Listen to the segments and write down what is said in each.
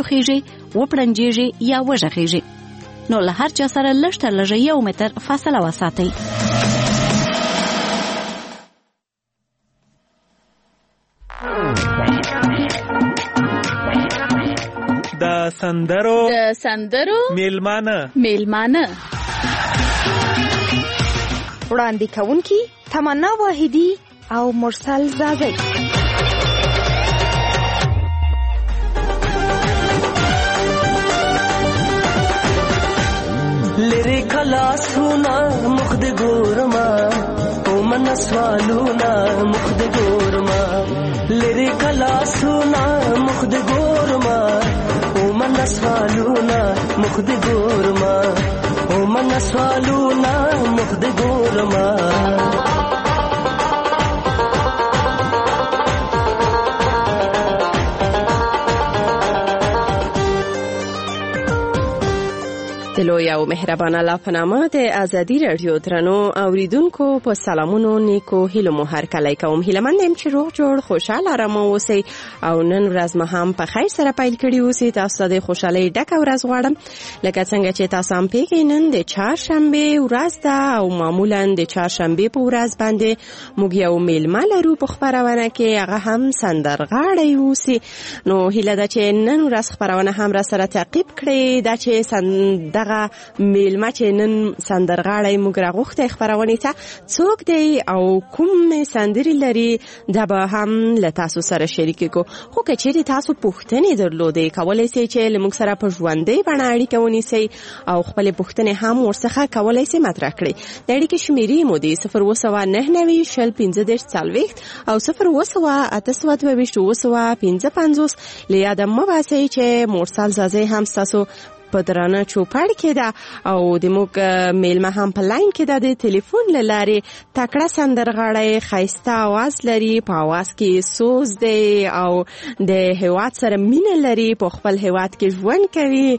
وټوخیږئ، وپړنجیږئ یا وږغیږئ. نو له هر چا سره لږ تر لږه 1 متر فاصله وساتئ. د سندرو میلمانه وړاندې کوونکي تمنا واحدی او مرسل ځاځی. لري کلاسونه مخ د ګورما او من سوالونه مخ د ګورما، لري کلاسونه مخ د ګورما او من سوالونه مخ د ګورما، او من سوالونه مخ د ګورما. د لوی او مهربان الله په نامه د ازادي راډیو درنو اوریدونکو په سلامونو نیکو هیلو مو هرکلی کوم. هیله مند یم چې روغ جوړ، خوشحاله، ارامه اوسئ او نن ورځ مو هم په خیر سره پیل کړې اوسئ. تاسو ته د خوشحالۍ ډکه ورځ غواړم. لکه څنګه چې تاسو هم پوهیږئ، نن د چهارشنبې ورځ ده او معمولا د چهارشنبې په ورځ باندې موږ یو میلمه لرو په خپرونه کې، هغه هم سندرغاړی اوسي. نو هیله ده چې نن ورځ خپرونه هم را سره تعقیب کړئ. دا چې دغه میلمه چې نن سندرغاړی موږ راغوښتی خپرونې ته څوک دی او کوم سندرې لري، دا به هم له تاسو سره شریک کړو. خو که چیرې تاسو پوښتنې درلودې، کولی سئ چې له موږ سره په ژوندۍ بڼه اړیکه ونیسئ او خپلې پوښتنې هم ورڅخه کولی سئ مطرح کړئ. د اړیکې شمېرې مو دي 0799 20 35 40 او 07 822 755. له یاده مه باسئ چې مرسل ځاځی هم ستاسو په درانه چوپړ کې ده او د موږ میلمه هم په لاین کې ده. د تلیفون له لارې تکړه سندرغاړی، ښایسته اواز لري، په اواز کې سوز دی او د هیواد سره مینه لري، په خپل هیواد کې ژوند کوي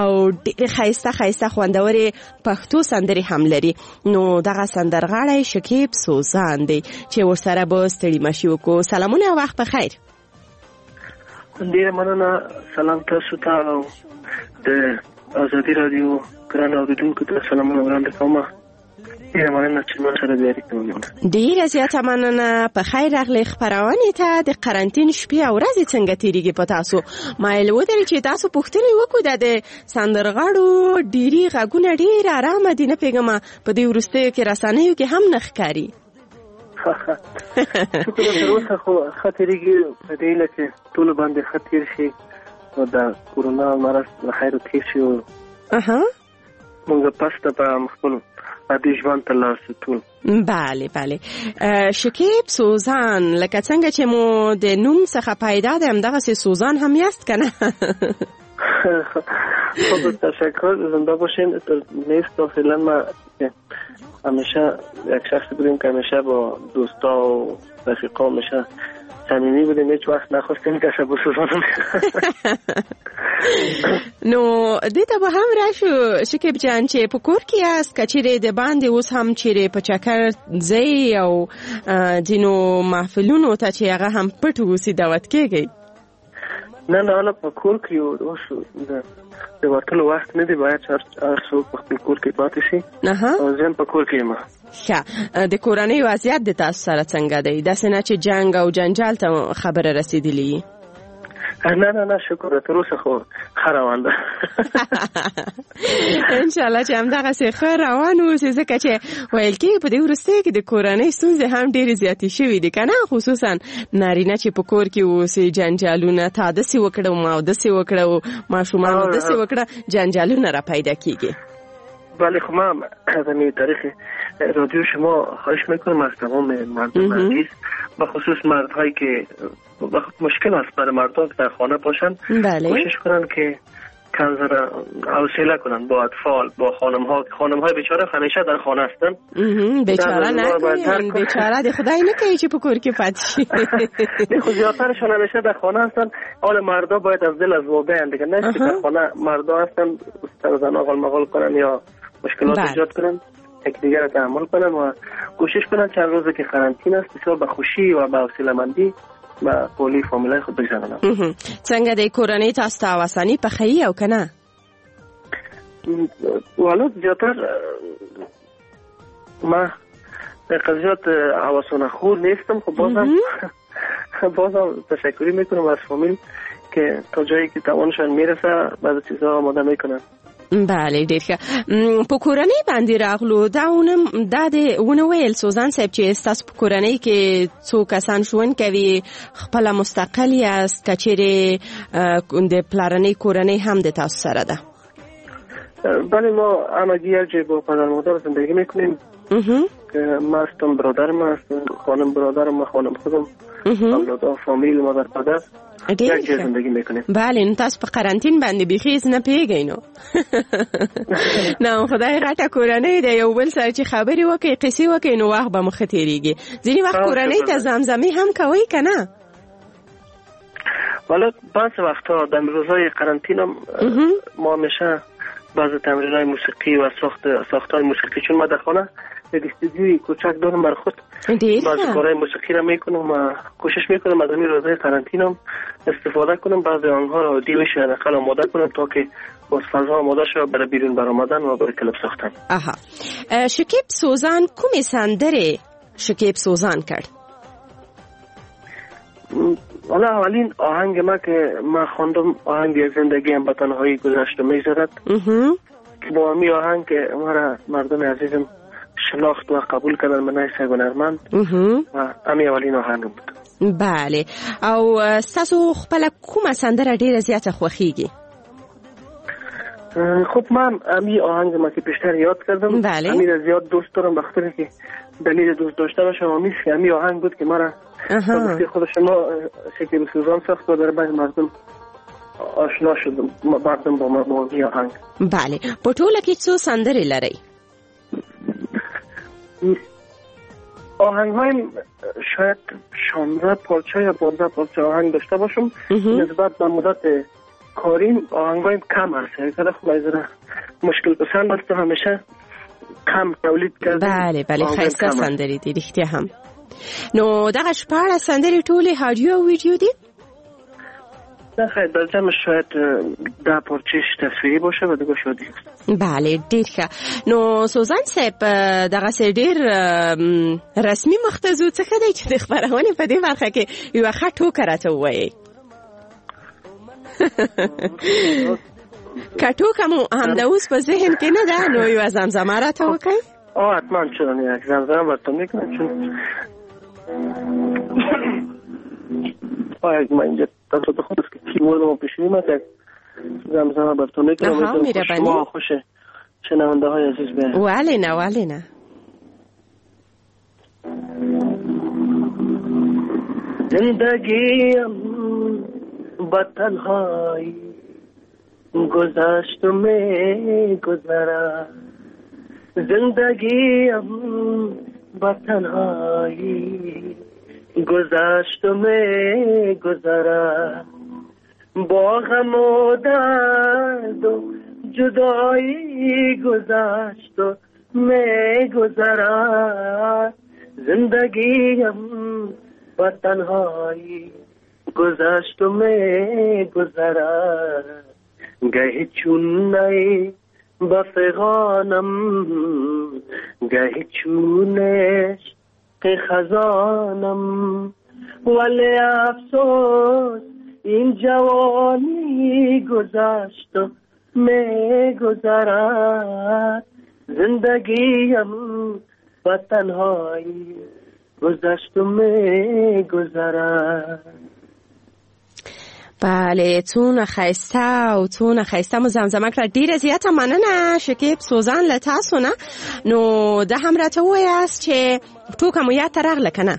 او ډېرې ښایسته ښایسته خوندورې پښتو سندرې هم لري. نو دغه سندرغاړی شکیب سوزان دی چې ورسره به ستړي مشي وکړو. سلامونه، وخت په خیر. ډېره مننه، سلام تاسو ته او د ازادي راډیو ګران اورېدونکو ته سلامونه وړاندې کوم. ډېره مننه چې ما سره بیا اړیکه ونیوله. ډېره زیاته مننه، په خیر راغلې خپرونې ته. د قرنطین شپې او ورځې څنګه تېرېږي په تاسو؟ مایل ودرې چې تاسو پوښتنې وکړو. دا د سندرغاړو ډېری غږونه ډېر ارامه دي، نه پوهېږم په دې وروستیو کې رسنیو کې هم نه ښکاري. شکر تر اوسه خو ښه تېرېږي، په دې هیله چې ټولو باندې ښه تېر شي او د کورونا مرض له خیره تېر شي او موږ پس ته په خپل عادي ژوند ته لاړ شو ټول. بله بله. شکیب سوزان، لکه څنګه چې مو د نوم څخه پیدا ده، همدغسې سوزان هم یاست که نه؟ خب تشکر، زنده باشین. نیست فعلا ما همیشه یک شخص بودیم که همیشه با دوستا و رفیقا همیشه صمیمی بودیم، هیچ وقت نخواستیم کسی بسوزانم. نو دې ته به هم راشو شکیب جان چې په کور کې یاست که چیرې د باندې اوس هم چیرې په چکر ځئ او ځینو محفلونو ته چې هغه هم پټ اوسي دعوت کیږئ؟ نه نه، حالا په کور کې یو، اوس د وتلو وخت نه دی، باید چې هر څوک په خپل کور کې پاتې شي. او زه هم په کور کې یم. ښه، د کورنۍ وضعیت د تاسو سره څنګه دی؟ داسې نه چې جنګ او جنجال ته خبره رسېدلې؟ نه نه نه، شکر تر اوسه خو ښه روان ده. انشاءالله چې همدغسې ښه روان اوسې، ځکه چې ویل کېږي په دې وروستیو کې د کورنۍ ستونزې هم ډېرې زیاتې شوې دي که نه؟ خصوصا نارینه چې په کور کې اوسي، جنجالونه، تا داسې وکړه ما داسې وکړه، ماشومانو داسې وکړه، جنجالونه را پیدا کېږي. بله، خب من از همین تاریخ رادیو شما خواهش میکنم از تمام مردم عزیز، به خصوص مردهایی که مشکل است برای مردم که در خانه باشن، بله. کوشش کنن که کم حوصله کنن با اطفال، با خانم ها. خانم های بیچاره همیشه در خانه هستن. بیچاره نکنین، بیچاره دی خدای نکنه چې په کور کې پاتې شي. نه خو زیاترشان همیشه در خانه هستن. حال مردا باید از دل از واقعا دیگه نه که در خانه مردا هستن سر زنا غال مغال کنن یا مشکلات ایجاد کنن، یکدیگر را تحمل کنن و کوشش کنن چند روزی که قرنطینه است بسیار به خوشی و به حوصله مندی به قولی فامیلای خود بگذرانم. څنګه د کورنۍ تاسو ته اساني پخوي او کنه؟ والا زیاتر ما زیاد حواسانه خور نیستم، خب بازم تشکری میکنم از فامیل که تا جایی که توانشان میرسه بعض چیزها آماده میکنن. بله ډیر ښه. په کورنۍ باندې راغلو، دا دا د ونه ویل سوزان صاحب چې ستاسو په کورنۍ کې څو کسان ژوند کوي، خپله مستقل یاست که چیرې د پلارنۍ کورنۍ هم د تاسو سره ده؟ بله، ما همگی یک جای با پدر مادر زندگی میکنیم که ما هستم، برادرم هست، خانم برادرم و خانم خودم، اولادا، فامیل، مادر پدر یک جای زندگی میکنیم. بله، نو تاسو په قرنطین باندې بیخي هېڅ نه پوهېږئ نو. نه خدای غټه کورنۍ ده، یو بل سره چې خبرې وکړئ، قصې وکړئ، نو وخت به مو ښه تېرېږي. ځینې وخت کورنۍ ته زمزمې هم کوئ که نه؟ والا بعض وقتها در روزهای قرنطین هم ما همیشه بعض تمرین‌های موسیقی و ساخت‌های موسیقی، چون ما در خانه یک استودیوی کوچک دارم بر خود، بعض کارهای موسیقی را میکنم و کوشش میکنم از همین روزهای قرنطین هم استفاده کنم، بعض آنها را عادی بشه حداقل آماده کنم تا که باز فضا آماده شود برای بیرون برآمدن و برای کلپ ساختن. آها. شکیب سوزان کومې سندرې شکیب سوزان کړ؟ حالا اولین آهنگ ما که ما خواندم آهنگ زندگی هم به تنهایی گذشت و میگذرد، با همی آهنگ که مرا مردم عزیزم شناخت و قبول کردن من حیث هنرمند و همی اولین آهنگ بود. بله. او ستاسو خپله کومه سندره ډیره زیاته خوښیږي؟ خب من همی آهنگ ما که پیشتر یاد کردم، بله، همی را زیاد دوست دارم، بخاطر که دلیل دوست داشتنش همیش که همی آهنگ بود که مرا خود شما شکیب سوزان ساخت و در بین مردم آشنا شدم، مردم با ما با همی آهنگ. بله. په ټوله کې څو سندرې لرئ؟ آهنگ هایم شاید 16 پارچه یا 15 پارچه آهنگ داشته باشم. نسبت به مدت کاریم آهنگ هایم کم هست، یعنی خب از مشکل پسند است، همیشه کم تولید کردم. بله بله، ښایسته سندرې دي رښتیا هم. نو دغه 16 سندرې ټولې هاډیو او ویډیو دي؟ نه خیر، در جمع شاید 10 پارچهش تصویری باشه و دیگه شادی. بله ډیر ښه. نو سوزان صاحب دغسې ډیر رسمي مخ ته ځو، څه ښه دی چې د خپرونې په دې برخه کې یوه ښه ټوکه راته ووایئ. که ټوکه مو همدا اوس په ذهن کې نه ده نو یوه زمزمه راته وکړئ. حتما، چون یک زمزمه براتون میکنم، چون من اینجا تصادف خود است که کیبورد ما پیش میومد، یک زمزمه براتون میکنم. شما خوش شنونده های عزیز به. ولی نه ولی نه. زندگیم با تنهایی گذشت و میگذرد، زندگیم با تنهایی گذشت و میگذرد، با غم و درد و جدایی گذشت و میگذرد، زندگیم با تنهایی گذشت و میگذرد، گهی چون نی با فغانم، گهی چون عشق خزانم، ولی افسوس این جوانی گذشت و میگذرد، زندگیم با تنهایی گذشت و میگذرد. بله، څونه ښایسته او څونه ښایسته مو زمزمه کړه. ډیره زیاته مننه شکیب سوزان له تاسو نه. نو دا هم راته ووایاست چې ټوکه مو یاد ته راغله که نه؟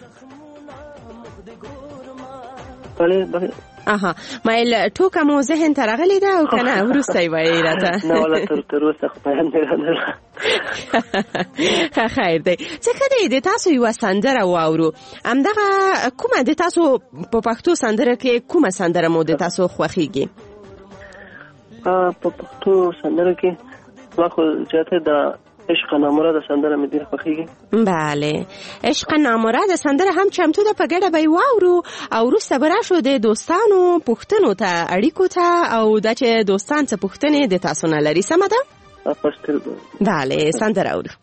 بله بله. آها، مایل ټوکه مو ذهن ته راغلې ده او که نه وروسته یې وایئ راته؟ نه والا تر اوسه خو په یاد نه راغله. خیر دی. څه ښه دی د تاسو یوه سندره واورو. همدغه کومه د تاسو په پښتو سندره کې کومه سندره مو د تاسو خوښیږي؟ په پښتو سندره کې ما خو زیاته د عشق نامراد سندره مې ډېره خوښېږي. بله، عشق نامراد سندره هم چمتو ده، په ګډه به یې واورو او وروسته به راشو د دوستانو پوښتنو ته، اړیکو ته، او دا چې دوستان څه پوښتنې د تاسو نه لري. سمه ده؟ بله، سندره اورو.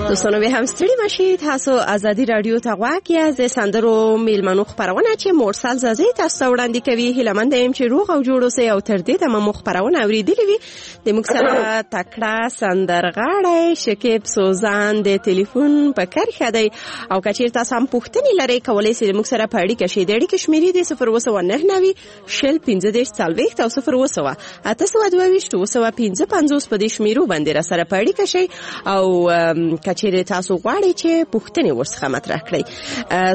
دوستانو به هم ستړي مشي، تاسو ازادي رادیو ته غوږ یاست. د سندرو میلمنو خپرونه چې مرسل ځاځی تاسو ته وړاندې کوي. هیله مند یم چې روغ او جوړ اوسئ او تر دې دمه مو خپرونه اورېدلې وي. د موږ سره تکړه سندرغاړی شکیب سوزان د تلیفون په کرښه دی او که چیرې تاسو هم پوښتنې لرئ کولی شئ د موږ سره په اړیکه شئ. د اړیکې شمېرې دي 0799 شل 15 40 او 0700 822 755. په دې شمېرو باندې را سره په اړیکه شئ او که چیرې تاسو غواړئ چې پوښتنې ورڅخه مطرح کړئ.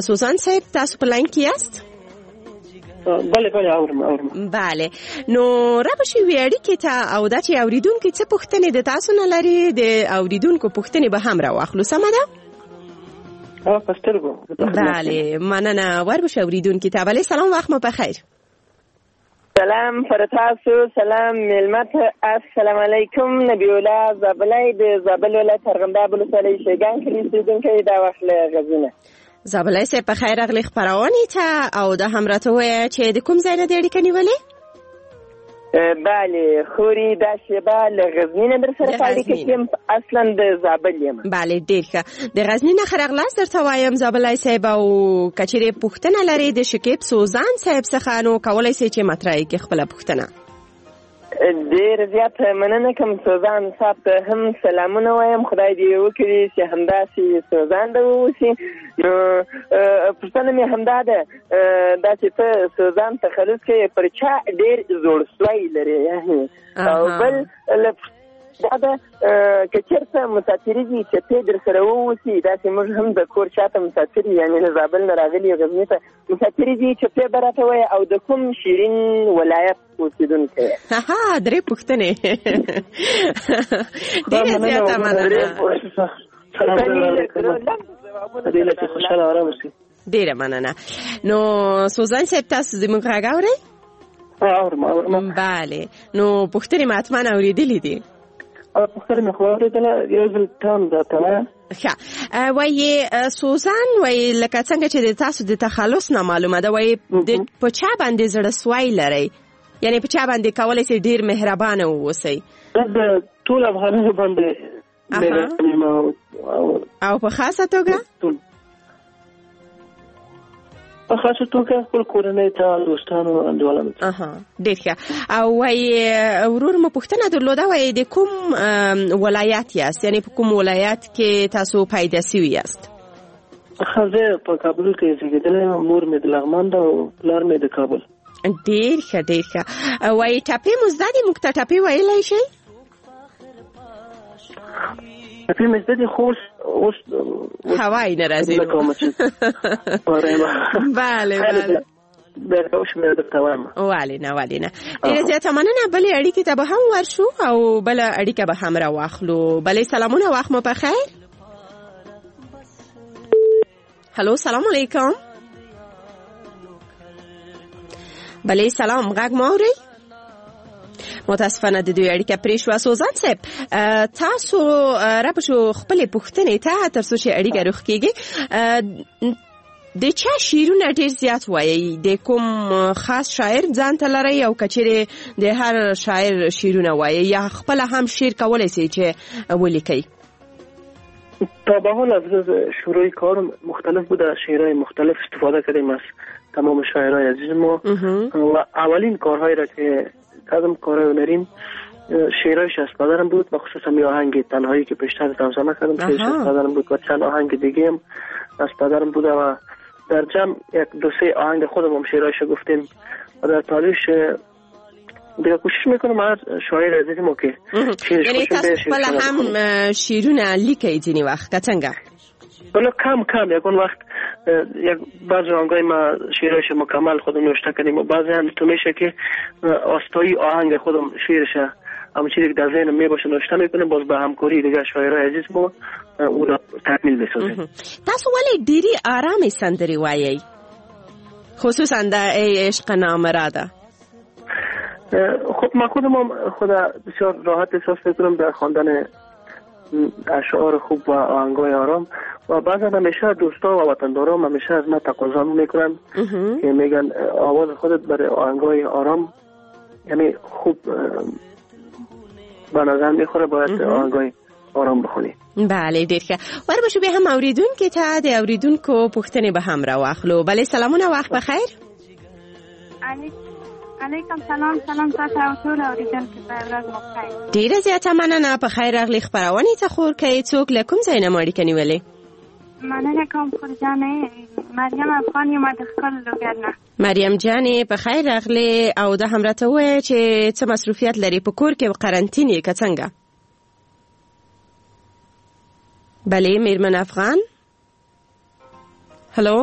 سوزان صاحب تاسو په لاین کې یاست؟ بله بله، اورم. بله، نو را به شي اړیکې ته او دا چې اوریدونکي څه پوښتنې د تاسو نه لري، د اوریدونکو پوښتنې به هم راواخلو. سمه ده؟ په سترګو. بله، مننه. ور به شي اوریدونکي ته. بله، سلام، وخت مو په خیر. سلام پر تاسو، سلام میلمه ته، السلام علیکم. نبی الله زابلی د زابل ولایت ارغنداب ولسوالۍ شیګان کلي اوسېدونکی، دا وخت له غزني. زابلی صاحب په خیر راغلې خپرونې ته، او دا هم راته ووایه چې د کوم ځای نه دې اړیکه نیولې؟ بله خوري دا شیبه له غزني نه در سره په اړیکه کې یم، اصلا د زابل یم. بله ډېر ښه، د غزني نه ښه راغلاست درته وایم زابلی صاحب، او که چېرې پوښتنه لرې د شکیب سوزان صاحب څخه نو کولی سئ چې مطرح یې کړې خپله پوښتنه. ډېر زیات مننه کوم سوزان صاحب ته هم سلامونه وایم، خدای دې وکړي چې همداسې سوزان ده واوسي. نو پوښتنه مې همدا ده، دا چې ته سوزان تخلص کوې پر چا ډېر زوړ سوی لرې؟ او بل دا ده که چېرته مسافري دي چپې در سره واوسي، داسې موږ هم د کور شاته مسافر یو، یعنې له زابل نه راغلي یو غزني ته مسافري دي، چپې به راته وایې او د کوم شیرین ولایت اوسېدونکی یې؟ ها درې پوښتنې. ډېره زیاته مننه. ډېره مننه. نو سوزان صاحب تاسو زموږ غږ اورئ؟ اورم اورم. بله، نو پوښتنې مې حتما اورېدلې دي. پوښتنه مې خو اورېدله، یو ځل تام راته وایه. ښه، وایي سوزان، وایي لکه څنګه چې د تاسو د تخلص نه معلومه ده، وایي په چا باندې زړه سوی لرئ، یعنی په چا باندې کولی سئ ډېر مهربانه واوسئ؟ د ټول افغانانو باندې او په خاصه توګه؟ په خاصه توګه خپل کورنۍ ته، دوستانو، انډیوالانو ته. اها ډېر ښه. او وایي ورور مو پوښتنه درلوده، وایي د کوم ولایت یاست، یعنی په کوم ولایت کې تاسو پیدا سوي یاست؟ ښه، زه په کابل کې زېږېدلی یم، مور مې د لغمان ده او پلار مې د کابل. ډېر ښه ډېر ښه. وایي ټپې مو زده دي، موږ ته ټپې ویلی شئ؟ ټپې مې زده دي خو اوس هوای نه راځي. بله بله ولې نه ولې نه. ډېره زیاته مننه. بلې اړیکې ته به هم ورشو او بله اړیکه به هم راواخلو. بلې سلامونه، وخت مو په خیر. هلو سلام علیکم. بله سلام، غږ مو اورئ؟ متاسفانه د دوی اړیکه پرې شوه. سوزان صاحب تاسو را پښو خپلې پوښتنې ته تر څو چې اړیکه روغ کېږي، د چا شعرونه ډېر زیات وایئ؟ د کوم خاص شاعر ځان ته لرئ او که چېرې د هر شاعر شعرونه وایئ یا خپله هم شعر کولی سئ چې ولیکئ؟ تا به حال از روز شروع کارم مختلف بوده، شعرهای مختلف استفاده کردیم از تمام شاعرای عزیز ما و اولین کارهایی را که کردم کارهای هنریم شعرهایش از پدرم بود و خصوصا می آهنگ تنهایی که پیشتر زمزمه کردم شعرش از پدرم بود و چند آهنگ دیگه هم از پدرم بوده و در جمع یک دو سه آهنگ خودم هم شعرهایش گفتیم و در تاریخ دیگه کوشش میکنم هر شاعر عزیز ما که یعنی تاسو خپله هم شعرونه لیکئ ځینې وخت که څنګه؟ ولی کم کم، یکون وقت یک بعض آهنگای ما شعرش مکمل خودم نوشته کردیم و بعضی هم تو میشه که آستایی آهنگ خودم شعرش همون چیزی که در ذهنم میباشه نوشته میکنم، باز به همکاری دیگه شاعرای عزیز ما او را تکمیل میسازیم. تاسو ولې ډېرې آرامې سندرې وایئ، خصوصا د ای عشق نامراده؟ خب من خودم هم خود بسیار راحت احساس میکنم در خواندن اشعار خوب و آهنگای آرام و بعضا همیشه دوستا و وطندارام همیشه از من تقاضا میکنن که میگن آواز خودت برای آهنگای آرام یعنی خوب به نظر میخوره، باید آهنگای آرام بخونی. بله ډیر ښه. ور به شو بیا هم اوریدونکو ته د اوریدونکو پوښتنې به هم راواخلو. بله سلامونه، وخت بخیر. علیکم سلام. سلام تاسو او ټول اوریدونکو ته ورځ مو خیر. ډیره زیاته مننه، په خیر راغلي خپرونې ته. خور که څوک له کوم ځای نه مو اړیکه نیولې؟ مننه کوم خور جانې، مریم افغان یم د ښکل لوګر نه. مریم جانې په خیر راغلې، او دا هم راته ووایه چې څه مصروفیت لرې په کور کې او قرنطین یې که څنګه؟ بله میرمن افغان، هلو،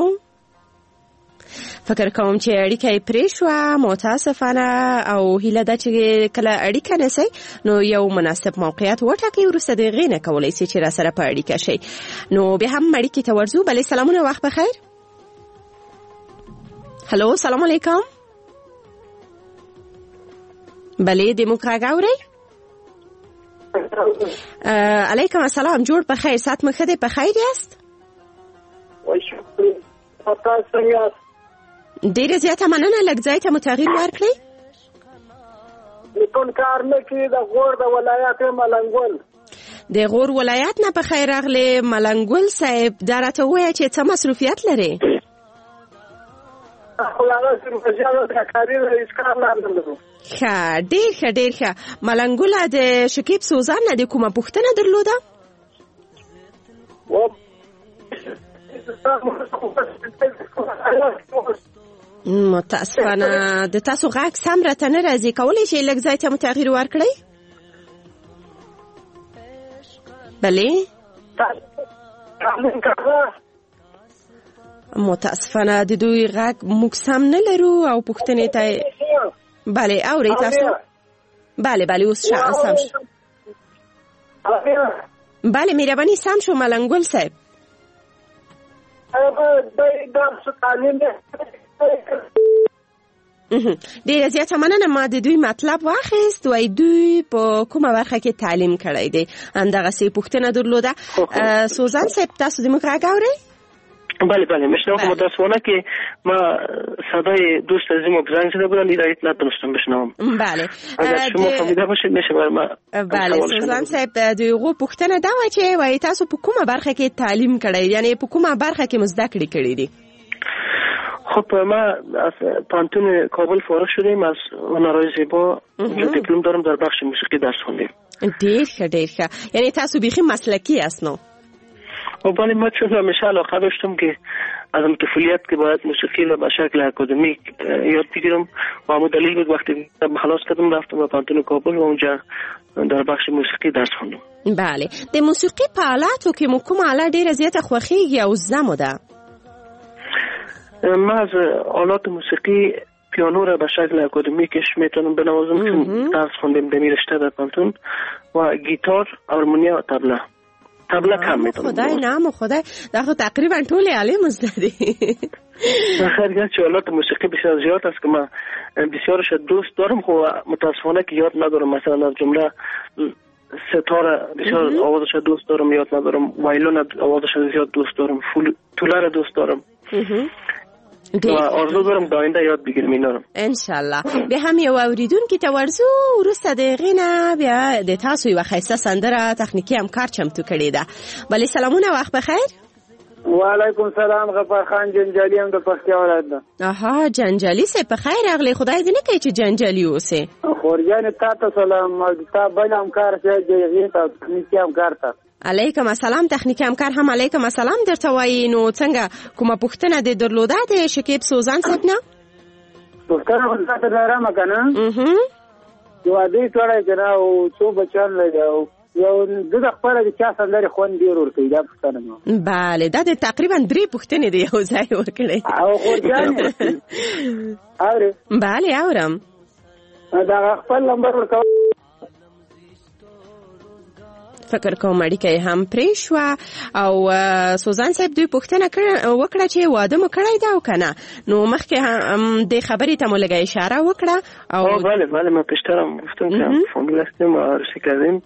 فکر کوم چې اړیکه یې پرې شوه متاسفانه، او هیله ده چې کله اړیکه نسئ نو یو مناسب موقعیت وټاکئ، وروسته د هغې نه کولی سئ چې راسره په اړیکه شئ. نو بیا هم اړیکې ته ورځو. بلې سلامونه، وخت په خیر. هلو سلام علیکم. بلې د موږ غږ اورئ؟ علیکم السلام، جوړ په خیر، ساعت مو ښه دی، په خیر یاست؟ ډیره زیاته مننه، لږ ځای ته مو تغییر ورکړئ. ټلیفون کار نه کوي. د غور د ولایت ملنګول. د غور ولایت نه په خیر راغلې ملنګول صاحب. دا راته ووایه چې څه مصروفیت لرې؟ خو هغه هیڅ کار نه لرو. ښه، ډېر ښه، ډېر ښه. ملنګوله، د شکیب سوزان نه د کومه پوښتنه درلوده؟ متاسفانه د تاسو غږ سم راته نه راځي. کولی شئ لږ ځای ته مو تغییر ورکړئ؟ بله، متاسفانه د دوی غږ موږ سم نه لرو او پوښتنې ته. بله، اورئ تاسو؟ بله بله، اوس سم شو. بله، مهرباني، سم شو ملنګول صاحب. ډیره زیاته مننه. ما د دوی مطلب واخیست. وای دوی په کومه برخه کې تعلیم کړی دی، همدغسې پوښتنه درلوده. سوزان صاحب، تاسو د موږ غږ اورئ؟ بله بله، میشنوم. متاسفانه که ما صدای دوست عزیزم زنگ زده بودن، ایرایت نتونستم بشنوم. بله، اگر شما فهمیده باشید میشه بر ما. بله سوزان صاحب، د هغو پوښتنه دا وه چې وایي تاسو په کومه برخه کې تعلیم کړی، یعنی په کومه برخه کې مو زده کړې کړې دي؟ خب ما از پوهنتون کابل فارغ شدیم، از هنرهای زیبا دیپلم دارم، در بخش موسیقی درس خوندیم. ډیر ښه، ډیر ښه. یعنی تاسو بیخي مسلکي یاست نو؟ و بله، ما چون همیشه علاقه داشتم که از طفولیت که باید موسیقی را به شکل اکادمیک یاد بگیرم و همون دلیل بود وقتی خلاص کردم رفتم به پوهنتون کابل و اونجا در بخش موسیقی درس خوندم. بله، د موسیقي په آلاتو کې مو کومه آله ډیره زیاته خوښیږي او زده مو ده؟ ما از آلات موسیقی پیانو را به شکل اکادمیکش میتونم بنوازم چون درس خوندیم در رشته در پوهنتون، و گیتار، هارمونیا و طبله. طبله کم میتونم. خدای نام خدای، دا خو تقریبا ټولې آلې مو زده دي. خیر، گرچه آلات موسیقی بسیار زیاد است که من بسیارش دوست دارم، خو متاسفانه که یاد ندارم. مثلا از جمله ستاره بسیار آوازش دوست دارم، یاد ندارم. وایلون آوازش زیاد دوست دارم، توله را دوست دارم و آرزو دارم د آینده یاد بگیرم اینا رو. انشالله. بیا هم یو اوریدونکي ته ورځو، وروسته د هغې نه بیا د تاسو یوه ښایسته سندره تخنیکي همکار چمتو کړې ده. بله، سلامونه، وخت بخیر. وعلیکم سلام، غفار خان جنجالي هم د پکتیا ولایت ده. آها، جنجالي صاحب په خیر راغلی. خدای دې نه کوي چې جنجالي اوسې. خورجانې تا ته سلام، او تا بل همکار چې دی هغې ته، تخنیکي همکار ته. علیکم السلام. تخنیکي همکار هم علیکم السلام درته وایي. نو څنګه، کومه پوښتنه دې درلوده د شکیب سوزان صاحب نه؟ پوښتنه خو تاته لرم که نه، چې واده یې کړی که نه، او څو بچیان لري، او یو د خپله د چا سندرې خوند ډېر ورکوي، دا پوښتنه مې. بله، دا د تقریبا درې پوښتنې دې یو ځای وکړې. او خورجانې اورې؟ بله اورم. دغه خپل نمبر ورکوه. فکر کوم اړیکه یې هم پرې شوه. او سوزان صاحب دوی پوښتنه وکړه چې واده مو کړی ده او که نه، نو مخکې هم دې خبرې ته مو لږه اشاره وکړه. او بله بله، ما پیشترم گفتم که فامیل هستیم و عروسی کردیم،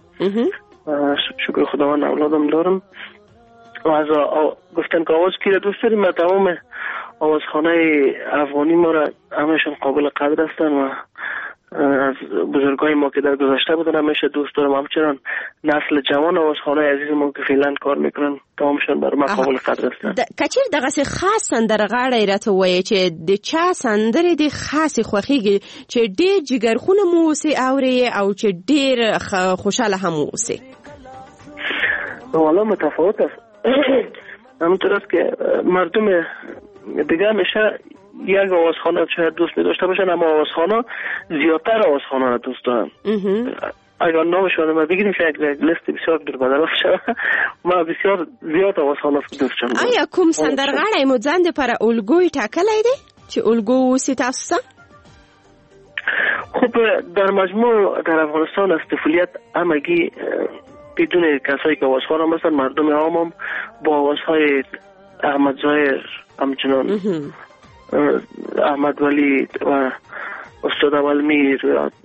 شکر خداوند اولادم دارم. و از گفتن که آواز کی را دوست داریم، ما تمام آوازخانه افغانی ما را همشون قابل قدر هستن و از بزرگای ما که در گذشته بودن همیشه دوست دارم. همچنان نسل جوان آوازخانه عزیز ما که فعلا کار میکنن تمامشون بر ما قابل قدر هستن. که چېرې دغسې خاص سندرغاړی راته ووایې چې د چا سندرې دې خاصې خوښېږي، چې ډېر جګرخونه مو اوسې اورې او چې ډېر خوشحاله هم اوسې؟ والا متفاوت است. همونطور است که مردم دیگه همیشه یک آوازخانه شاید دوست می داشته باشن، اما آوازخانه زیادتر آوازخانه را دوست دارن. اگر نامشان ما بگیریم شاید یک لیست بسیار دور بدل شود. ما بسیار زیاد آوازخانه دوست دارم. آیا کوم سندرغاړی مو ځان دپاره الګوی ټاکلی دی چې الګو اوسي تاسو ته؟ خب در مجموع در افغانستان از طفولیت همگی بدون کسایی که آوازخوان هم هستن، مردم عام هم با آوازهای احمد ظاهر، همچنان احمد ولی و استاد اولمیر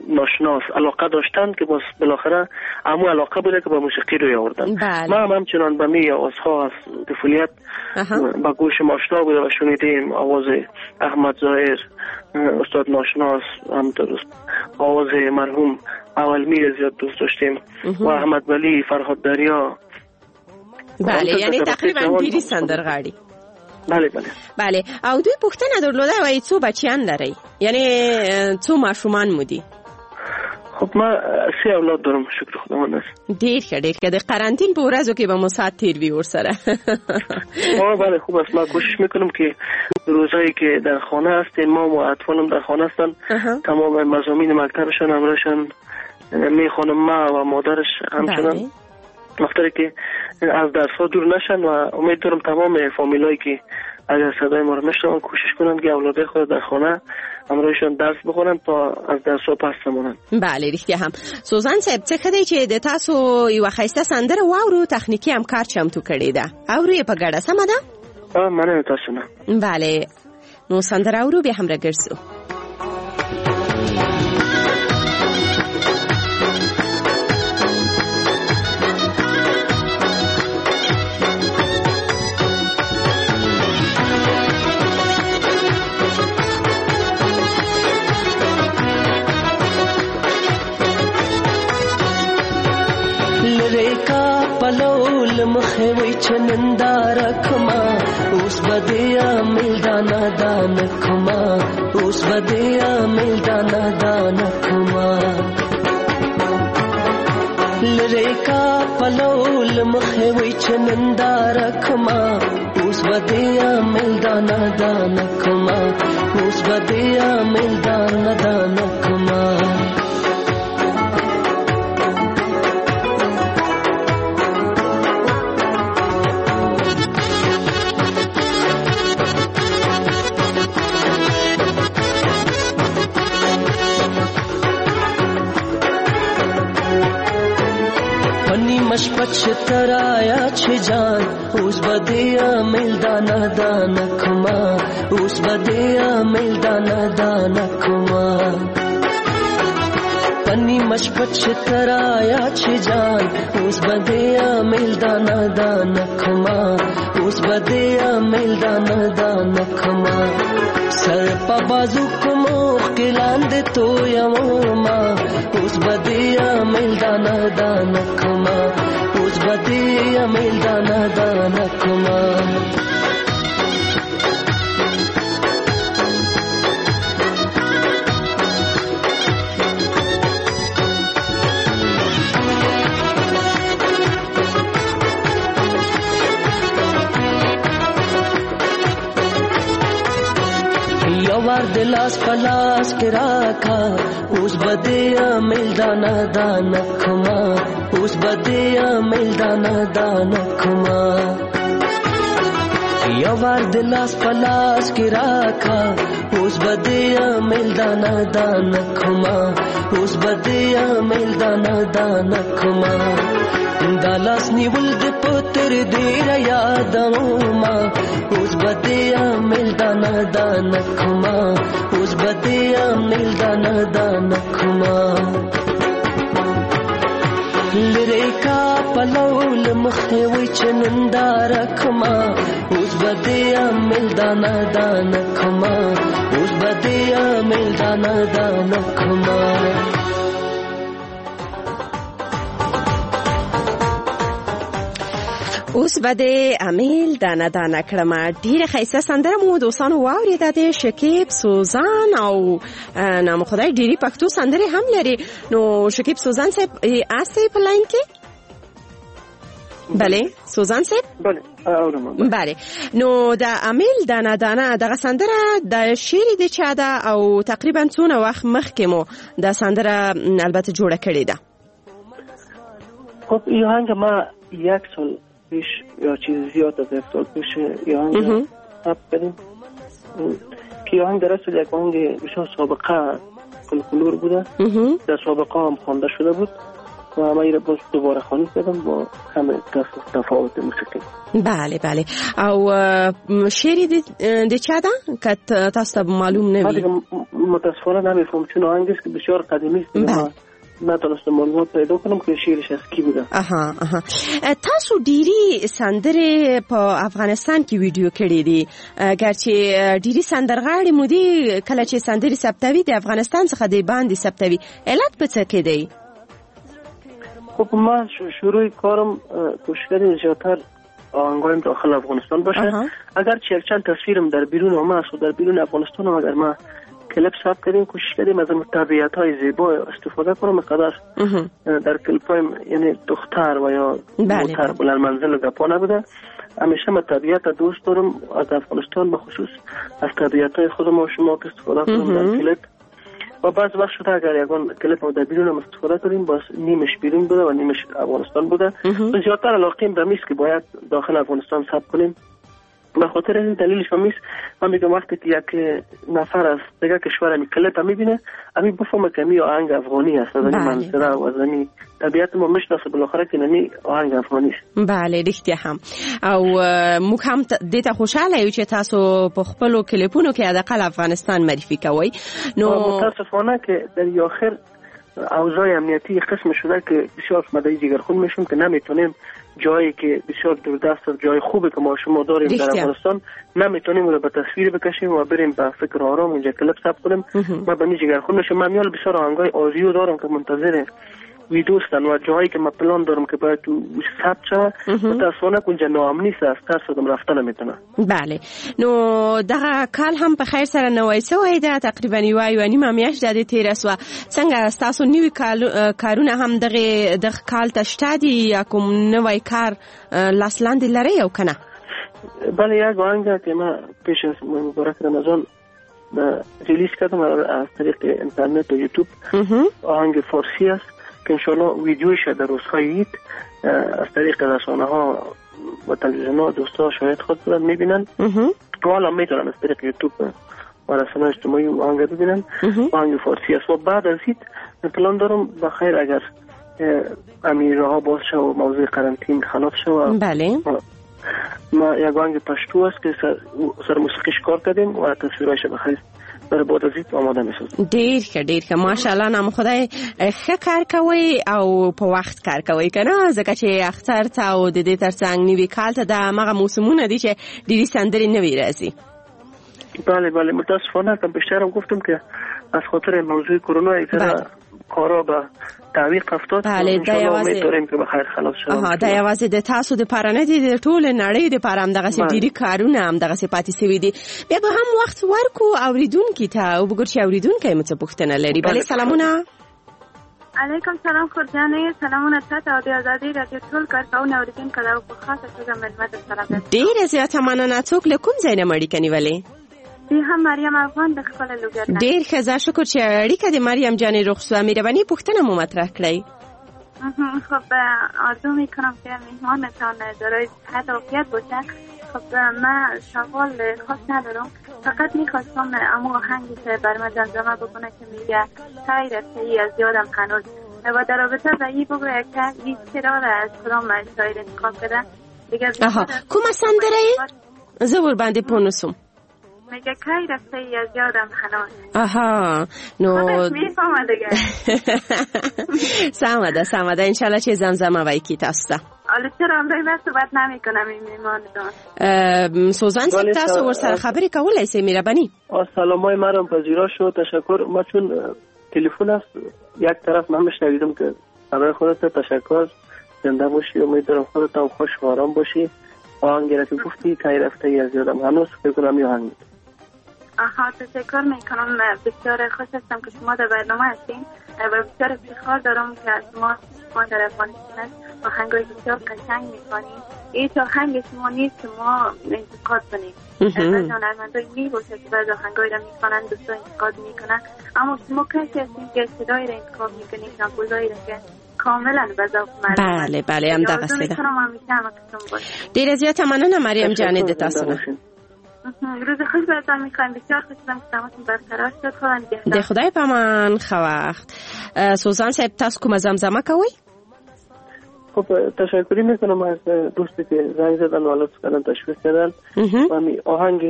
ناشناس علاقه داشتند که باز بالاخره امو علاقه بوده که با موسیقی روی آوردن. بله. ما هم همچنان به می آوازها از طفولیت با گوش آشنا بوده و شنیدیم آواز احمد ظاهر، استاد ناشناس، هم آواز مرحوم اولمیر زیاد دوست داشتیم و احمد ولی، فرهاد دریا. بله، یعنی تقریبا ډېری سندرغاړي. بله بله بله. او دوی پوښتنه درلوده وایي څو بچیان لرئ، یعنی څو ماشومان مو دي؟ خب ما 3 اولاد دارم، شکر خداوند است. ډیر ښه، ډیر ښه. د قرنطین په ورځو کې به مو ساعت تیر وي ورسره. بله خوب است. ما کوشش میکنم که روزایی که در خانه هستیم، ما و اطفالم در خانه هستن، تمام مضامین مکتبشان همراهشان میخوانم، ما و مادرش همچنان، وقتی که از درس ها دور نشن. و امید دارم تمام فامیلایی که اگر صدای ما رو میشنون کوشش کنند که اولادای خود در خانه همراهشان درس بخونن تا از درس ها پس نمونن. بله رښتیا هم. سوزان صاحب څه ښه دی چې د تاسو یوه ښایسته سندره واورو، تخنیکي همکار چمتو کړې ده، اورو یې په ګډه، سمه ده؟ مننه تاسو نه. بله نو سندره اورو بیا هم راګرځو. مخې وای چې ننداره کما، اوس به دې عامل دانه دانه کما، اوس به دې عامل دانه دانه کما. لرې کا پلو له مخې وای چې ننداره کما، اوس به دې عامل دانه دانه کما، اوس به دې عامل دانه دانه کما. مشپچ ترایا چھ جان، اوس بدیا مل دانا دانا کما، اوس بدیا مل دانا دانا کما. پنی مشپچ ترایا چھ جان، اوس بدیا مل دانا دانا کما، اوس بدیا مل دانا دانا کما. سر پا بازو کمو کلاند تو یموما، اوس بدیا مل دانا دانا کما، اوس بدیا مل دانا دانا کما. یوار د لاس پلاس کې راکا، اوس بدیا مل دانا دانا کما، اوس بدیا مل دانا دانا کما. یوار د لاس پلاس کې راکا، اوس بدیا مل دانا دانا کما، اوس بدیا مل دانا دانا کما. دا لاس نیول د پتر ډیر یادوما، اوس بدیا مل دانا دانا کما، اوس بدیا مل دانا دانا کما. لرې کا پلو له مخې وای چې ننداره کما، اوس بدیا مل دانا دانا کما، اوس بدیا مل دانا دانا کما. اوس به د امیل دانه دانه کړم. ډیره ښایسته سندره مو دوستانو واورېده، د شکیب سوزان او نام خدای ډیری پښتو سندرې هم لري. نو شکیب سوزان صاحب هستئ په لاین کې؟ بله سوزان صاحب، بله اورم. بله نو د امیل دانه دانه دغه سندره د شعر د چا ده او تقریبا څونه وخت مخکې مو دا سندره البته جوړه کړې ده؟ خب این آهنگ ما 1 سال پیش یا چیز زیاد از 1 سال پیش این آهنگ ثبت کردیم که آهنگ در اصل یک آهنگ بسیار سابقه فولکلور بوده، در سابقه هم خوانده شده بود و همه را باز دوباره خوانی کردم با همه تفاوت موسیقی. بله بله. او شعر د چا ده که تاسو ته معلوم نه وي؟ متاسفانه نمیفهم چون آهنگ است که بسیار قدیمی است. بله. نتونستم معلومات پیدا کنم که شعرش از کی بوده. اها اها. تاسو ډیری سندرې په افغانستان کې ویډیو کړې دي، ګرچې ډیری سندرغاړي مو دي کله چې سندرې ثبتوي د افغانستان څخه د باندې ثبتوي، علت په څه کې دی؟ خب ما شروع کارم کوشش کردیم زیادتر آهنگایم داخل افغانستان باشه. اگرچه یک چند تصویرم در بیرون آمد و در بیرون افغانستان هم اگر ما کلیپ ثبت کردیم کوشش کردیم از طبیعت های زیبا استفاده کنم قدر در کلیپ های یعنی دختر و یا موتر بلند منزل گپا نبوده. همیشه من طبیعت دوست دارم از افغانستان به خصوص از طبیعت های خودم و شما که استفاده کنم در کلیپ. و بعض وقت شده اگر یگان کلیپ ما در بیرون هم استفاده کنیم باز نیمش بیرون بوده و نیمش افغانستان بوده. زیادتر علاقیم به میست که باید داخل افغانستان ثبت کنیم. به خاطر این دلیلش هم نیست. من میگم وقتی که یک نفر از دیگه کشور می کلیپ میبینه امی بفهمه که می آهنگ افغانی است، از این منظره و از این طبیعت ما میشناسه بالاخره که نمی آهنگ افغانی است. بله رښتیا هم. او موږ هم دې ته خوشاله یو چې تاسو په خپلو کلیپونو کې حداقل افغانستان معرفي کوئ. نو متاسفانه که در آخر اوضاع امنیتی قسم شده که بسیار مدعی جگرخون میشیم که نمیتونیم جایی که بسیار دوردست و جای خوبی که ما شما داریم در افغانستان نمیتونیم رو به تصویر بکشیم و بریم به فکر آرام اونجا کلیپ ثبت کنیم. ما به جگرخون میشیم. من میال بسیار آهنگای آریو دارم که منتظر ویدوستن و جایی که من پلان دارم که باید تو ثبت شود متاسفانه اونجا ناامنی است، از ترس آدم رفته نمیتونه. بله. نو دغه کال هم په خیر سره نوی سوی ده، تقریبا یوه نیمه میاشت د دې تېره سوه. څنګه ستاسو نوي کارونه هم دغه کال ته شته دي یا کوم نوی کار لاس لاندې لرئ او که نه؟ بله یک آهنگ که من پیش از مبارک رمضان release کردم از طریق اینترنت و یوتیوب، آهنگ فارسی است که انشالله ویدیوش در روزهای عید از طریق رسانه ها و تلویزیون ها دوستا شاهد خود بودن میبینن و حالا میتونن از طریق یوتیوب و رسانه اجتماعی آهنگ ببینن. آهنگ فارسی است و بعد از عید پلان دارم بخیر اگر امیرها باز شد و موضوع قرنطین خلاص شد. بله. ما یک آهنگ پشتو است که سر موسیقیش کار کردیم و تصویرایش بخیر برای بعد از عید آماده می‌سازیم. ډیر ښه ډیر ښه، ماشاءالله نام خدای ښه کار کوي او په وخت کار کوي که نه، ځکه چې اختر ته او د دې ترڅنګ نوي کال ته دا هماغه موسمونه دي چې ډېرې سندرې نوې راځي. بله بله. متاسفانه کم بیشترم گفتم که از خاطر موضوع کرونا یک کارا به تعویق افتاد. بله دا یوازې داریم که بخیر خلاص شد. آها دا یوازې د تاسو د پاره نه دي، د ټوله نړۍ د پاره هم دغسې ډېری کارونه هم دغسې پاتې سوي دي. بیا به هم وخت ورکو اورېدونکي ته او وګورو چې اورېدونکی مو څه پوښتنه لري. بله سلامونه. علیکم سلام خورجانې، سلامونه تاته او د ازادي راډیو ټول کارکوونکو اورېدونکو ته او په خاصه توګه مېلمه ته سلام. ډېره زیاته مننه. څوک له کوم ځای نه مو اړیکه نیولې؟ هم مریم افغان د خپل لوګر. ډېر ښه، زه شکر چې اړیکه د مریم جانې روغ سوه. مهرباني پوښتنه مو مطرح کړئ. خب آرزو میکنم که مهمانتان دارای صحت و عافیت باشه. خب من سوال خاص ندارم، فقط میخواستم امو آهنگی که بر من زمزمه بکنه که میگه تای رفته ای از یادم هنوز، و در رابطه با این بگوید که این چرا از کدام شاعر انتخاب کرده دیگه. آها کومه سندره یې؟ زه ورباندې پوه نه سوم. میگه کی رفته ای از یادم هنوز. آها نو میفهمه دیگه. سمه ده سمه ده، انشالله چې زمزمه وایي کی تاسو ته. حالا چرا همراه من صحبت نمیکنم این میهمانتان؟ سوزان صاحب تاسو ورسره خبرې کولای سئ مهرباني. سلامای مرم پذیرا شد، تشکر. ما چون تلفن است یک طرف من میشنویدم که برای خودت تشکر، زنده باشی، امیدوارم خودت هم خوش و آرام باشی. آهنگ را که گفتی کی رفته ای از یادم هنوز، فکر کنم یه آهنگ. آها تشکر میکنم، بسیار خوش هستم که شما در برنامه هستین و بسیار افتخار دارم که شما در افغانستان است آهنگای بسیار قشنگ میخوانید. هیچ آهنگ شما نیست که ما انتقاد کنیم. بعضی هنرمندای میباشه که بعضی آهنگایی را میخوانند دوستا انتقاد میکنن، اما شما کسی هستین که صدایی را انتخاب میکنید، کمپوزایی را که کاملا به ذوق مردم. بله بله هم دغه سیده. ډیره زیاته مننه مریم جانې د تاسو نه. روز خوش براتان میخوایم. بسیار خوشحالم که تماسم برقرار شد. خدا نگهدار. د خدای په امان. ښه وخت. سوزان صاحب تاسو کومه زمزمه کوئ؟ خب تشکری میکنم از دوستی که زنگ زدن و لطف کردن تشویق کردن و می آهنگ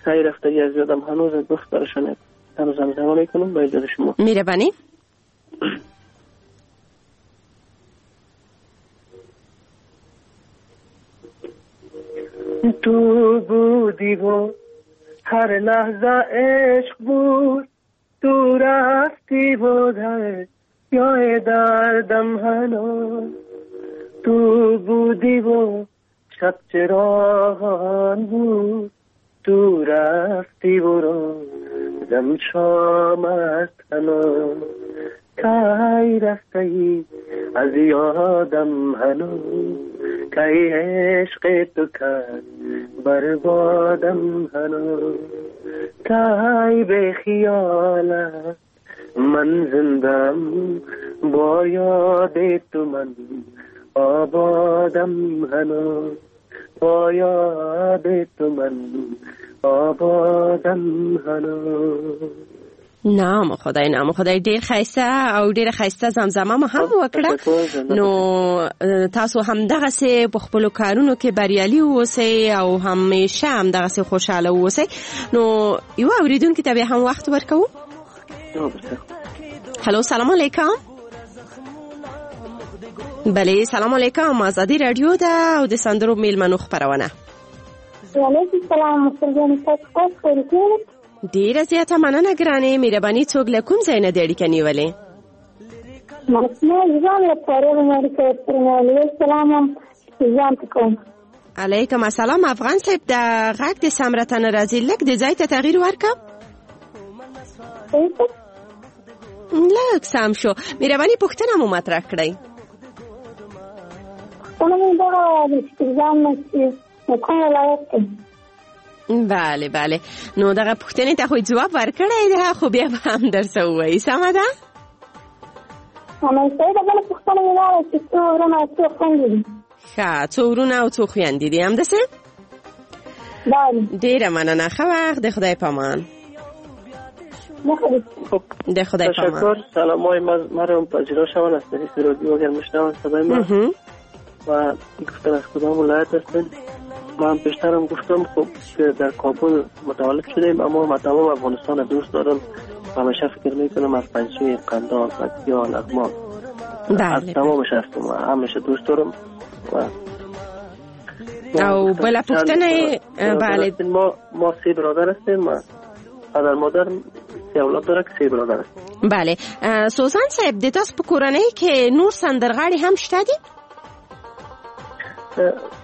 سعی رفتگی از یادم هنوز گفت براشون هنوز زمزمه میکنم با اجازه شما. مهربانی. تو بودی و هر لحظه عشق بود، تو رفتی و در یا دردم هنوز، تو بودی و شب چراغان بود، تو رفتی و روزم شام است هنوز، کی رفتی از یادم هنوز، کی عشق تو کرد بربادم هنوز، کی به خیالت من زندم، با یاد تو من آبادم هنوز، با یاد تو من آبادم هنوز. نام خدای، نام خدای، ډیر ښایسته او ډیره ښایسته زمزمه مو هم وکړه. نو تاسو هم دغسې په خپلو کارونو کې بریالي اوسئ او همیشه هم دغسې خوشحاله اوسئ. نو یو اورېدونکي ته بیا هم وخت ورکوو. هلو، سلام علیکم. بله، سلام علیکم، ازادي رادیو ده او د سندرو میلمنو خپرونه. وعلیکم سلام، مرسل جان. ډیره زیاته مننه ګرانې، مهرباني. څوک له کوم ځای نه د اړیکه نیولې؟ علیکم السلام. افغان صاحب، د غږ د سم راته نه راځي، لږ د ځای ته تغییر ورکړه. لږ سم شو. مهرباني پوښتنه مو مطرح کړئ. پوښتنه مې دغه چې ځان کوم ولایت دی؟ بله بله، نو دغه پوښتنې ته خو ځواب ورکړی دی، خو بیا به هم درته ووایي. سمه ده؟ بله پوښتنه مې دا وه چې څو ورونه او څو خویندې دي؟ ښه، څو ورونه او څو خویندې دي، همداسې؟ بله. ډېره مننه، ښه وخت، د خدای پامان. د خدای پامان. تشکر. سلام های مرم پذیرا شوند از طریق رادیو اگر میشنوند صدای ما و گفتن از کدام ولایت هستند. من هم پیشترم گفتم خب که در کابل متولد شدیم، اما من تمام افغانستان دوست دارم و همیشه فکر میکنم از پنجشیر، قندهار، پکتیا، لغمان، از تمامش هستم و همیشه دوست دارم. و او بله پوښتنه. بله، ما سه برادر هستیم و پدر مادر سه اولاد داره که سه برادر هستیم. بله. سوزان صاحب، د تاسو په کورنۍ کې نور سندرغاړي هم شته دي؟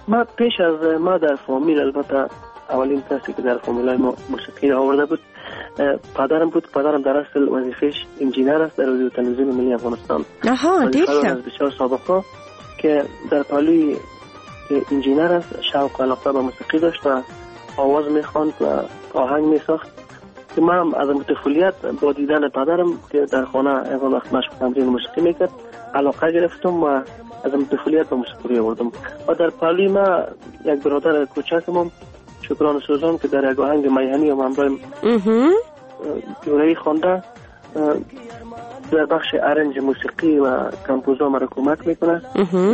ما پیش از ما در فامیل، البته اولین کسی که در فامیلای ما موسیقی آورده بود پدرم بود. پدرم در اصل وظیفه‌اش انجینر است در رادیو تلویزیون ملی افغانستان. آها، ډیر ښه. از بسیار سابقه که در پالوی که انجینر است شوق و علاقه به موسیقی داشت و آواز میخواند و آهنگ میساخت که من از طفولیت با دیدن پدرم که در خانه اول وقت مشق تمرین موسیقی میکرد علاقه گرفتم و از طفولیت به موسیقی آوردم. و در پالوی ما یک برادر کوچکم شکران سوزان که در یک آهنگ میهنی و همراه جورایی خوانده در بخش arrange موسیقی و compose ا مرا کمک میکنه.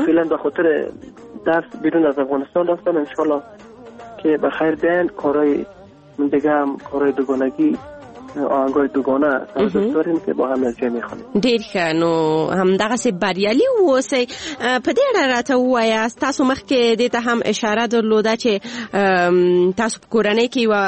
فعلا به خاطر درس بیرون از افغانستان رفتن، انشالله که به خیر بیان. کارهای دیگه هم کارهای دوگانگی، آهنگای دوگانه دوست داریم که با هم یک جای میخوانیم. ډیر ښه. نو همدغسې بریالي واوسئ. په دې اړه راته ووایاست، تاسو مخکې دې ته هم اشاره درلوده چې تاسو په کورنۍ کې یوه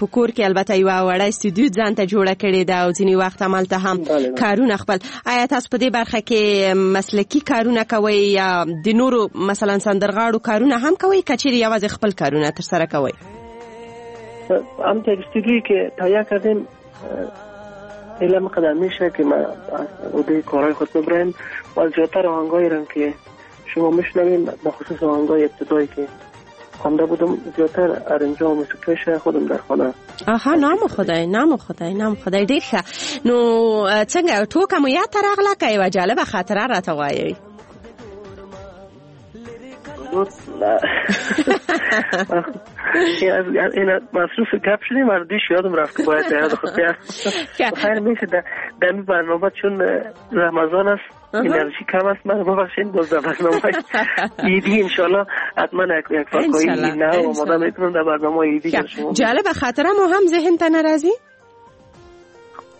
په کور کې البته یوه وړه استودیو ځان ته جوړه کړې ده او ځینې وخت همالته هم کارونه خپل. آیا تاسو په دې برخه کې مسلکي کارونه کوئ یا د نورو مثلا سندرغاړو کارونه هم کوئ که چیرې یوازې خپل کارونه ترسره کوئ؟ هم استودیویی که تهیه کردیم علم قدر میشه که ما عده کارهای خود ببریم و زیادتر آهنگایی را که شما میشنویم، به خصوص آهنگای ابتدایی که خوانده بودم، زیادتر arrange ا و موسیقیش خودم در خانه. آها، نام خدای، نام خدای، نام خدای. ډیر ښه. نو څنګه ټوکه مو یاد ته راغله که یوه جالبه خاطره راته وایئ؟ این مصروف گپ شدیم، مردیش یادم رفت که باید یاد خود بیارم. خیر میشه در این برنامه چون رمضان است انرژی کم است، من ببخشید باز در برنامه عیدی انشالله حتما یک فاکایی نه آماده میکنم در برنامه عیدی. جالب خاطره مو هم ذهن ته نه راځي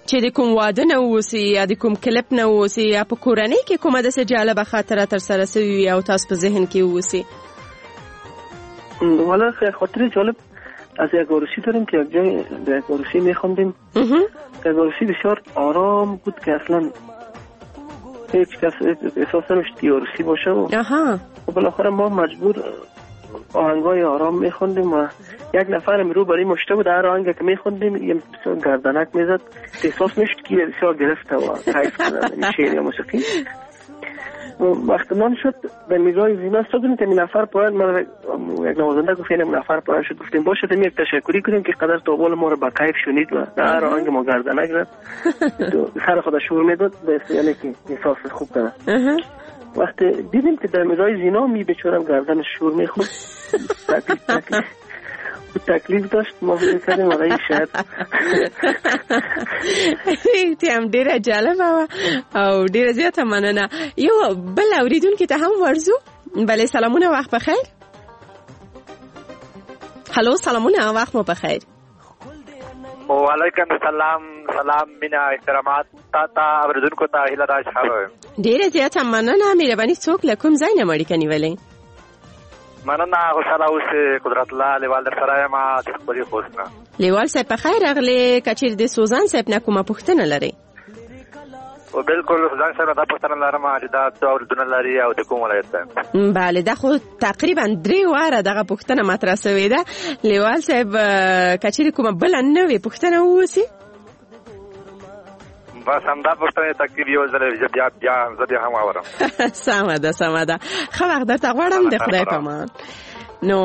چې د کوم واده نه اوسي یا د کوم کلپ نه اوسي یا په کورنۍ کې کومه داسې جالبه خاطره ترسره سوي وي او تاسو په ذهن کې اوسي؟ والا خاطره جالب از یک عروسی داریم که یک جای در یک عروسی میخوندیم. یک عروسی بسیار آرام بود که اصلا هیچ کس احساس نمیشد که عروسی باشه و بالاخره ما مجبور آهنگای آرام میخوندیم و یک نفر رو برای مشته بود، هر آهنگ که میخوندیم یه بسیار گردنک میزد، احساس میشد که بسیار گرفته و کیف کرده شعر یا موسیقی. وقت نان شد به میزای زینه استادیم که این نفر پایان، من یک نوازنده گفت این نفر پایان شد، گفتیم باشه یک تشکری کنیم که قدر تا ما رو با کیف شنید و هر آهنگ ما گردنک زد سر خود شور میداد، یعنی که احساس خوب کرد. وقتی دیدیم که در میزای زینا می بیچارم گردن شور میخورد، تکلیف داشت، ما فکر کردیم آقای شاید هم ډیره جالبه وه او ډیره زیاته مننه. یو بل اوریدونکي ته هم ورځو. بله سلامونه، وخت بخیر. هلو سلامونه، وخت مو بخیر. وعلیکم السلام، سلام مینا احترامات تا تا اوریدونکو ته هیله ده چې ښه وئ. ډیره زیاته مننه، مهرباني. څوک له کوم ځای نه مو اړیکه نیولې؟ مننه، خوشحاله اوسې. قدرت الله لیوال در سره یم د خپلې خوست نه. لیوال صاحب په خیر راغلې. که چیرې د سوزان صاحب نه کومه پوښتنه لرئ؟ بالکل سوزان صاحب دا پوښتنه لرم چې دا څو اورېدونه لري او د کوم ولایت دی؟ بله دا خو تقریبا 3 واره دغه پوښتنه مطرح سوې ده. لیوال صاحب که چیرې کومه بله نوې پوښتنه واوسي؟ بس همدا پوښتنه تقریب یو ځل بیا بیا زه بیا هم واورم. سمه ده سمه ده، ښه وخت درته غواړم، د خدای په امان. نو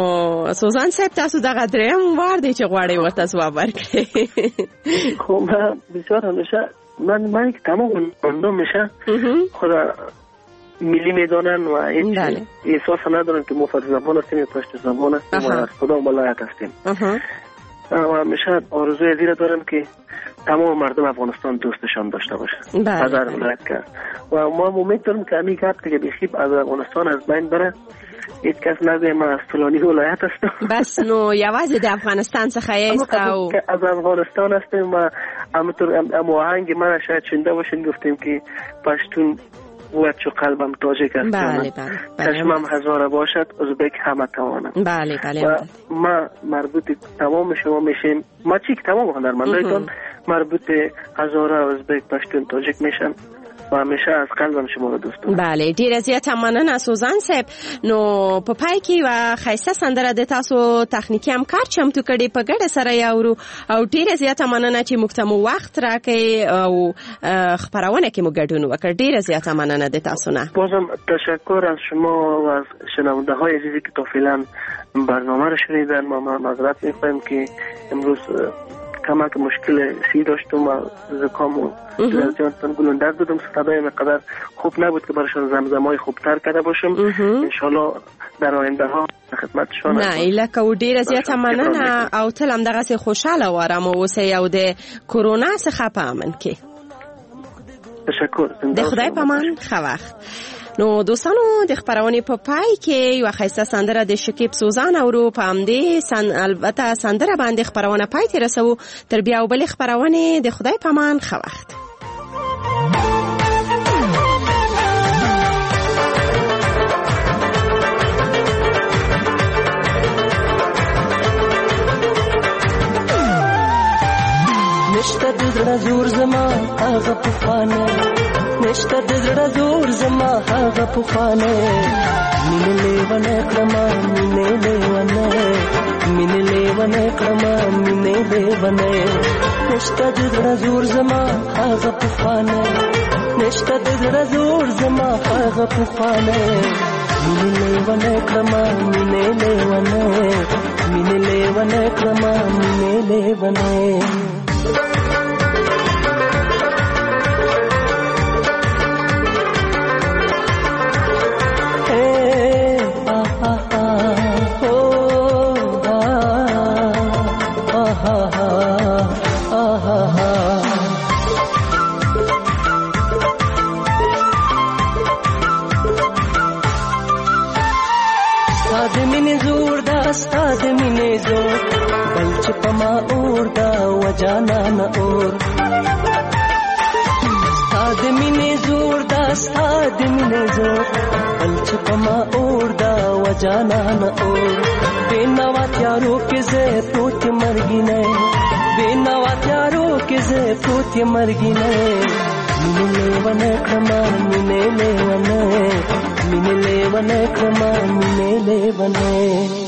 سوزان صاحب تاسو دغه دریم وار دی چې غواړئ ورته ځواب ورکړئ. خو ما بسیار همیشه من که تمام مردم میشه خدا ملی میدانن و هیچ احساس ندارن که ما فارسی زبان هستیم یا پشت زبان هستیم و از کدام ولایت هستیم. و همیشه آرزوی زیره دارم که تمام مردم افغانستان دوستشان داشته باشه از هر ولایت کرد و ما امید دارم که همین گپ دیگه بیخیب از افغانستان از بین بره، هیچ کس نگویه من از فلانی ولایت هستم. بس نو یوازې د افغانستان څخه یاست او از افغانستان هستیم و همونطور آهنگ من شاید شنیده باشین گفتیم که پشتون بود چو قلبم تاجک است. بله بله بله. چشمم هزاره باشد ازبک همه توانم. بله بله. و ما مربوط تمام شما میشیم، ما چی که تمام هنرمندایتان مربوط هزاره ازبک پشتون تاجک میشن و همیشه از قلبم شما رو دوست دارم. بله ډیره زیاته مننه سوزان صاحب. نو په پای کې یوه ښایسته سندره د تاسو تخنیکي همکار چمتو کړې، په ګډه سره یې اورو. او ډیره زیاته مننه چې موږ ته مو وخت راکړئ او خپرونه کې مو ګډون وکړ. ډیره زیاته مننه د تاسو نه. بازم تشکر از شما و از شنونده های عزیزی که تا فعلا برنامه رو شنیدن. ما معذرت میخوایم که امروز کمک مشکل سی داشتم و زکام و جانتان گلوندر بودم، صدای مقدار خوب نبود که برایشان زمزمای خوبتر کرده باشم. انشالله در آینده ها خدمتشان. نه ایله کو ډیره زیاته مننه او تل همدغسې خوشحاله او ارامه اوسئ او د کرونا څخه په امن کې. تشکر، د خدای په امان، ښه وخت. نو دوستانو د خپرونې په پای کې یوه ښایسته سندره د شکیب سوزان اورو. په همدې البته سندره باندې خپرونه پای ته رسوو. تر بیا او بلې خپرونې د خدای په امان، ښه وخت. نشته د زړه زور زما هغه پخوانی، نشته د زړه زور زما هغه پخوانی، مینه لیونی کړمه مینه لیونی، مینه لیونی کړمه مینه لیونی، نشته د زړه زور زما هغه پخوانی، نشته د زړه زور زما هغه پخوانی، مینه لیونی کړمه مینه لیونی، مینه لیونی کړمه مینه لیونی. ستا د مینې زور، بل چې په ما اور دا وجانانه اور. ستا د مینې زور دا، ستا د مینې زور، بل چې په ما اور دا وجانانه اور. بې نوا تیارو کې زه پروت یم مرګینی، بې نوا تیارو کې زه پروت یم مرګینی. مینې لیونی کړمه، مینې لیونی، مینې لیونی کړمه، مینې لیونی.